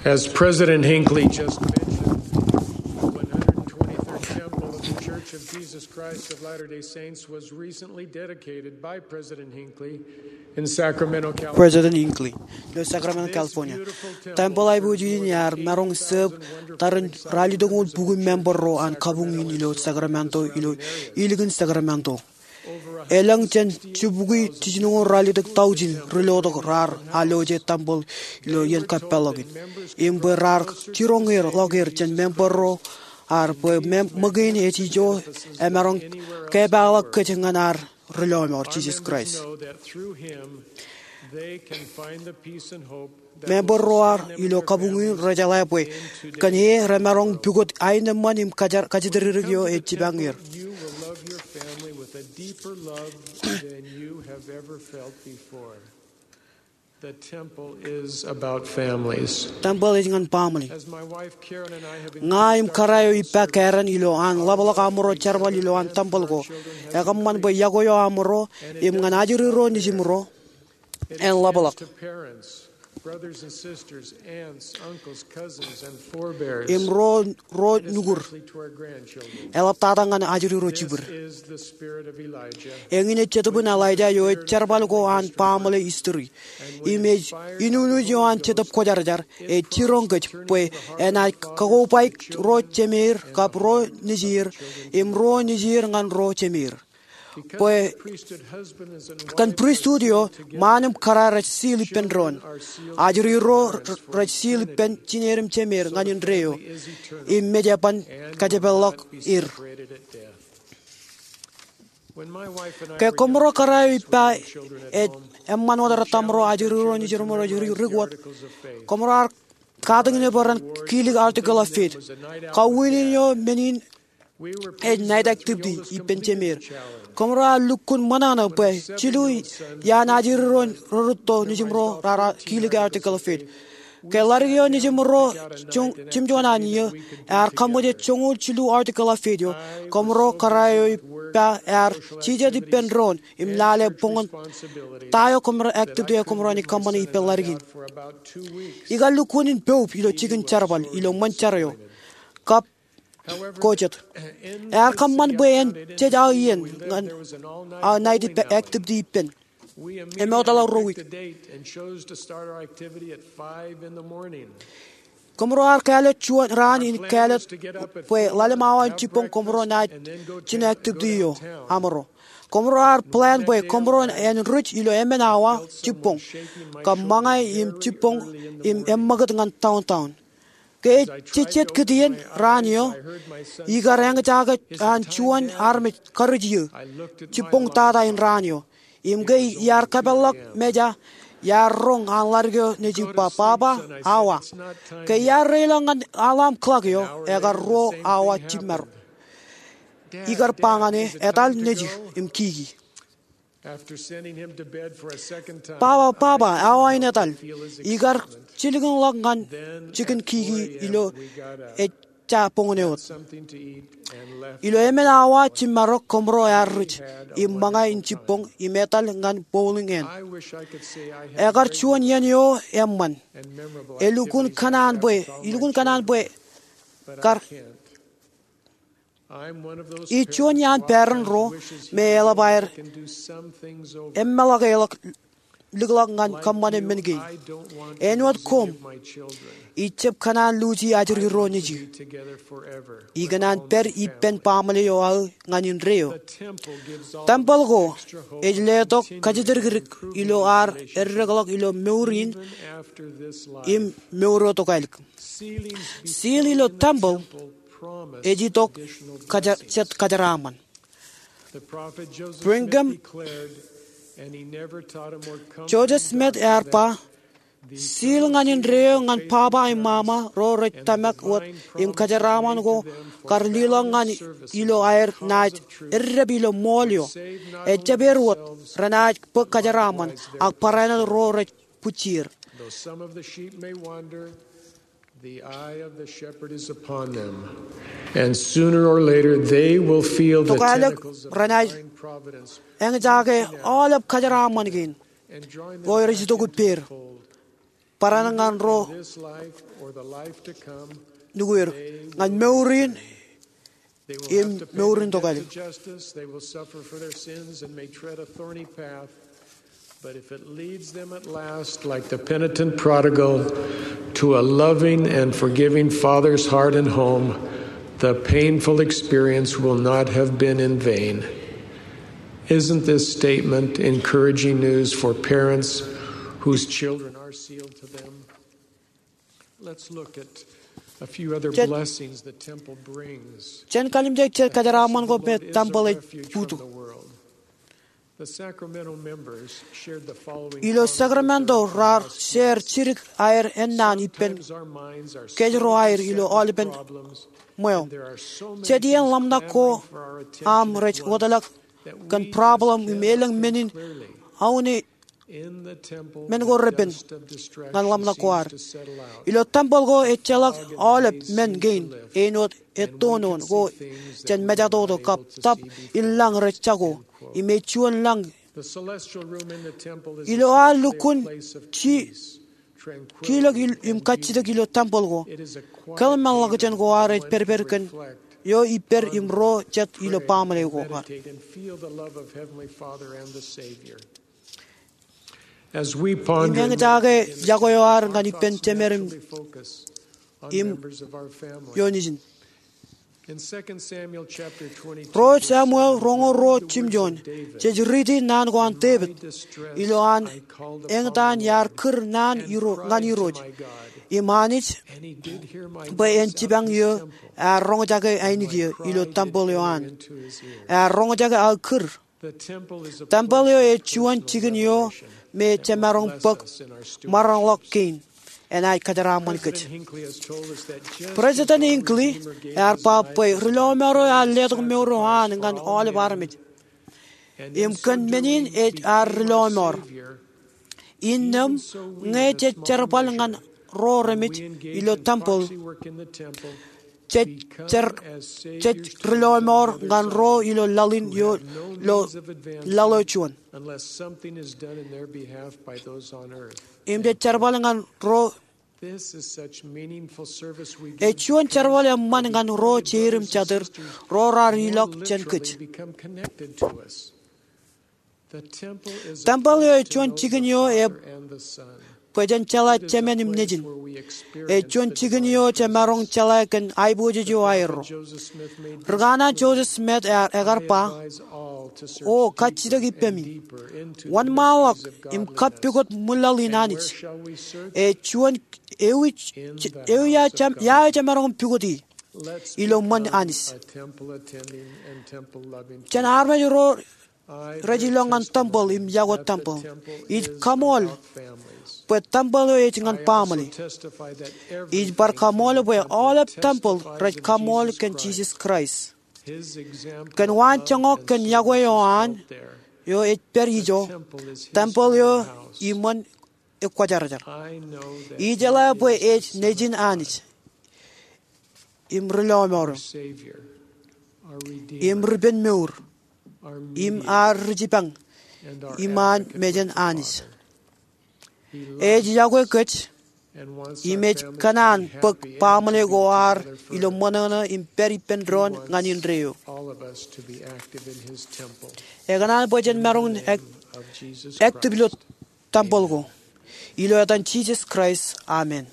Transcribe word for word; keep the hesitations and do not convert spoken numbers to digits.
As President Hinckley just mentioned, the one hundred twenty-third Temple of the Church of Jesus Christ of Latter-day Saints was recently dedicated by President Hinckley in Sacramento, California. President Hinckley ilo Sacramento, California. Tempel aiboojoj in ear maroñ sōb tarrin ralitōk oṇ bukwi member ro an kabuñ in ilo Sacramento ilo ilikin Sacramento. Elōñ jān jibukwi jiljinoñoul ralitōk taujin ri lotok raar alloje tempel ilo iien kappālọk in. Im bwe raar jiroñ er ḷọk er jān member ro ad bwe ṃōk in ej ijo emaroñ kepaakḷọk kōj ñan ad ri lọmọọr Jisōs Kraist. Member ro ad ilo kabuñ in rejeḷā bwe kōn e remaroñ pukot aenōṃṃan im kajatdikdik eo ej jipañ er. Tempel ej ñan baaṃle. Ña im kōrā eo ippa Karen ilo an ḷapḷọk amro jerbal ilo an tempel ko, ekōṃṃan bwe iọkwe eo amro im ñan ajri ro nejimro en ḷapḷọk. Im ro, ro nukur, eḷaptata ñan ajri ro jibwid. Eñin ej Jetōb in Elijah eo ej jerbal ko an baaṃle history. Im ej inunuj eo an Jetōb Kwōjarjar ej jiroñ kōj bwe enaaj kakobaik ro jemeir kab ro nejier im ro nejier ñan ro jemeir. Bwe kōn pristut eo, ṃaan im kōrā rej seal ippān doon. Ajri ro rej seal ippān jineer im jemeir ñan indeeo im mej eban kajepelḷọk er. Ke kōmro kōrā eo ippa ej eṃṃan wōt rōtamro ajri ro nejirmro rej ri, ri wōt, kōmro ar katakin bwe ren kilik Article of Faith. Kaween in eo men in ej night activity ippān jemeir. Kōmro ar lukkuun ṃōṇōṇō bwe jilu iaan ajri ro rūtto nejimro raar kilik Article of Faith. Ke ḷadik eo nejimro jimjuon an iiō ear kaṃōj joñoul jilu Article of Faith eo, kōmro kōrā eo ippa ear jijet ippān doon im lale boñōn ta eo kōmro activity eo kōmro naaj kōṃṃane ippān ḷadik in. Ikar lukkuun in poub ilo jikin jerbal ilo ṃōn jar eo. Kab ko jet. Ear kōṃṃan bwe en jej aō iien ñan aō night activity ippān. Im eoteḷọk ruo wiik. Kōmro ar kāālōt juon raan in kāālōt bwe ḷalem awa in jibboñ kōmro naaj jino activity eo amro. Kōmro ar plan bwe kōmro en ruj ilo emān awa jibboñ kab ṃōñā im jibboñ im eṃṃakūt ñan downtown. Ke ij jejjet kūtien raan eo, ikar eñjake an juon armej karij iiō jibboñ tata in raan eo. Im ke iar kōpeḷḷọk meja, iar roñ an ḷadik eo nejū ba, "Baba, awa." Ke iar reiḷọk ñan alarm clock eo, ekar ruo awa jimmarok. Ikar ba ñan e, "Etal nejū im kiki." "Baba, baba, awa in etal." Ikar jilkinḷọk ñan jikin kiki ilo ejja boñōn eo wōt. Ilo emān awa jimmarok kōmro ear ruj im ṃōñā in jibboñ im etal ñan bowling in. Ekar juon iien eo eṃṃan. Elukkuun kōṇaan bwe, ilukkuun kōṇaan bwe kar Ij juon iaan parent ro me eḷap aer eṃṃanḷọk, eḷap likḷọk ñan kōṃṃane men kein. Āinwōt koṃ, ij jab kōṇaan luuji ajri ro nejū. Ikōṇaan pād ippān baaṃle eo aō ñan indeeo. Tempel ko ej letok kajjitōkdik ilo ad eddekḷọk ilo mour in im mour eo tokālik. Seal ilo tempel ej itok jet kōjeraaṃṃan. Brigham Joseph Smith ear ba, seal ñan indeeo ñan baba im mama ro rej tōmak wōt im kōjeraaṃṃan ko kar leḷọk ñan ilo aer naaj eddep ilo ṃool eo. Ejjab er wōt renaaj bōk kōjeraaṃṃan ak barāinwōt ro rej bwijjier. Though some of the sheep may wander, the eye of the shepherd is upon them, and sooner or later they will feel the tentacles of divine providence. Tokālik renaaj eñjake aolep kōjeraaṃṃan kein ro rej itok ippāer. barāinwōt ñan ro nukwier ñan mour in im mour in tokālik. But if it leads them at last, like the penitent prodigal, to a loving and forgiving father's heart and home, the painful experience will not have been in vain. Isn't this statement encouraging news for parents whose children are sealed to them? Let's look at a few other blessings the temple brings. Jen kalimjek jet kōjeraaṃṃan ko me tempel ej bōktok. Ilo Sacramento raar share jidik aer ennaan ippān kōjro aer ilo aolepen ṃweo. Jet iien ḷōmṇak ko aṃ rej wōtlọk kōn problem im elōñ men in aune men ko repen ñan ḷōmṇak ko ad. Ilo tempel ko ejjeḷọk aolep men kein āinwōt ettoon ko jān mejatoto kab tōp in lañ rej jako im ej juon lañ. Ilo ad lukkuun jilōk im kajjitōk ilo tempel ko, kōḷmānḷọkjeṇ ko ad ej pedped kōn eo ippād im ro jet ilo baaṃle ko ad. Im eñjake yokwe eo ad ñan ippān jemed im ioon ijin. Ruo Samuel roñoul ruo jimjuon jej riiti naan ko an Devid ilo an eñtaan iar kūr naan ñan Irooj im Anij bwe en jipañ eō ear roñjake ainikien ilo tempel eo an. Ear roñjake aō kūr. Tempel eo ej juon jikin eo me jemaroñ bōk maroñḷọk kein enaaj kōjeraaṃṃan kōj. President Hinckley ear ba bwe ri lọmọọr eo ear letok mour eo an ñan aolep armej. Im kōn men in ej ad ri lọmọọr. Innām ñe jej jerbal ñan ro remej ilo tempel, jej ri lọmọọr ñan ro ilo laḷ in ilo laḷ eo juon. Im jej jerbal ñan ro Ej juon jerbal eṃṃan ñan ro jeid im jatid ro raar ilọk jān kōj. Tempel eo ej juon jikin eo bwe jen jeḷā Jemān im Nejin. Ej juon jikin eo jemaroñ jeḷā kōn aiboojoj eo aerro. Ri kanaan Joseph Smith ear ekar ba, O kajjitōk ippemi, wōnṃaanḷọk im kappukot ṃwilaḷ in Anij. Ej juon ewi, ewi ia eo jemaroñ pukoti ilo ṃōn Anij. Jān armej ro rej ilọk ñan tempel im yokwe tempel, ij kaṃool bwe tempel eo ej ñan baaṃle. Ij bar kaṃool bwe aolep tempel rej kaṃool kōn Jisōs Kraist. Kōn waan joñak kōn yokwe eo an eo ej pād ijo, tempel eo iṃōn ekwōjarjar. Ijeḷā bwe ej Nejin Anij im ri lọmọọr im ri pen mour im ad ri jipañ iṃaan mejān Anij. Ej yokwe kōj im ej kōṇaan bōk baaṃle ko ad ilo ṃōṇōṇō im pād ippān doon ñan indeeo. Ekōṇaan bwe jen maroñ active ilo tempel ko. Ilo etan Jisōs Kraist, amen.